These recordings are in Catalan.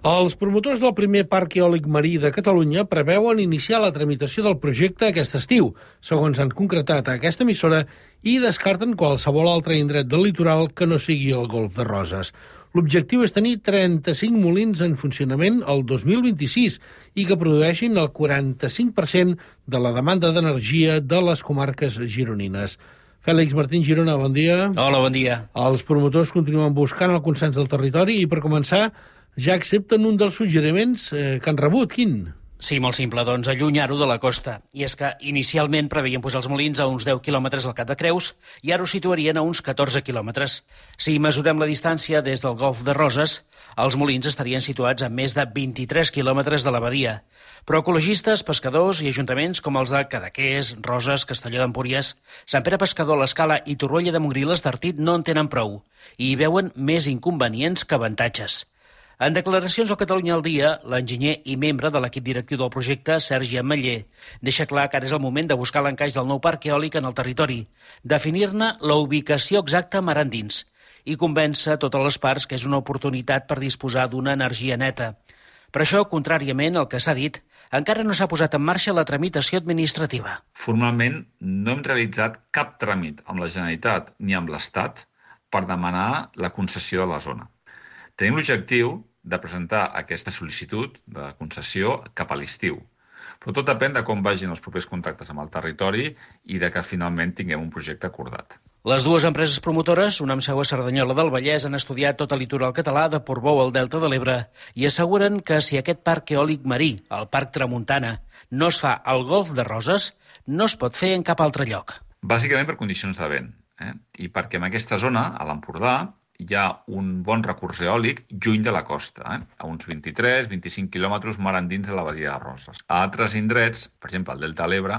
Els promotors del primer parc eòlic marí de Catalunya preveuen iniciar la tramitació del projecte aquest estiu, segons han concretat a aquesta emissora, i descarten qualsevol altre indret del litoral que no sigui el Golf de Roses. L'objectiu és tenir 35 molins en funcionament el 2026 i que produeixin el 45% de la demanda d'energia de les comarques gironines. Fèlix Martín Girona, bon dia. Hola, bon dia. Els promotors continuen buscant el consens del territori i, per començar, ja accepten un dels suggeriments que han rebut. Quin? Sí, molt simple, doncs allunyar-ho de la costa. I és que inicialment preveien posar els molins a uns 10 quilòmetres al Cap de Creus i ara ho situarien a uns 14 quilòmetres. Si mesurem la distància des del Golf de Roses, els molins estarien situats a més de 23 quilòmetres de la badia. Però ecologistes, pescadors i ajuntaments com els de Cadaqués, Roses, Castelló d'Empúries, Sant Pere Pescador, l'Escala i Torroella de Montgrí l'Estartit no en tenen prou i hi veuen més inconvenients que avantatges. En declaracions al Catalunya al Dia, l'enginyer i membre de l'equip directiu del projecte, Sergi Ametller, deixa clar que ara és el moment de buscar l'encaix del nou parc eòlic en el territori, definir-ne la ubicació exacta mar endins i convèncer totes les parts que és una oportunitat per disposar d'una energia neta. Per això, contràriament al que s'ha dit, encara no s'ha posat en marxa la tramitació administrativa. Formalment no hem realitzat cap tràmit amb la Generalitat ni amb l'Estat per demanar la concessió de la zona. Tenim l'objectiu de presentar aquesta sol·licitud de concessió cap a l'estiu, però tot depèn de com vagin els propers contactes amb el territori i de que finalment tinguem un projecte acordat. Les dues empreses promotores, una amb seu a Cerdanyola del Vallès, han estudiat tot el litoral català de Portbou al Delta de l'Ebre i asseguren que si aquest parc eòlic marí, el Parc Tramuntana, no es fa al Golf de Roses, no es pot fer en cap altre lloc. Bàsicament per condicions de vent, i perquè en aquesta zona, a l'Empordà, hi ha un bon recurs eòlic lluny de la costa, a uns 23-25 quilòmetres mar endins de la badia de Roses. A altres indrets, per exemple al Delta de l'Ebre,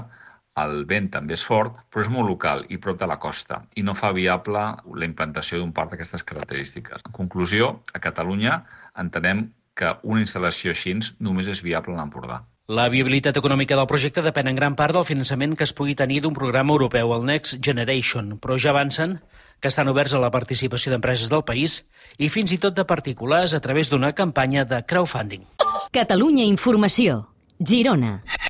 el vent també és fort, però és molt local i prop de la costa i no fa viable la implantació d'un parc d'aquestes característiques. En conclusió, a Catalunya entenem que una instal·lació així només és viable a l'Empordà. La viabilitat econòmica del projecte depèn en gran part del finançament que es pugui tenir d'un programa europeu, el Next Generation, però ja avancen que estan oberts a la participació d'empreses del país i fins i tot de particulars a través d'una campanya de crowdfunding. Catalunya Informació, Girona.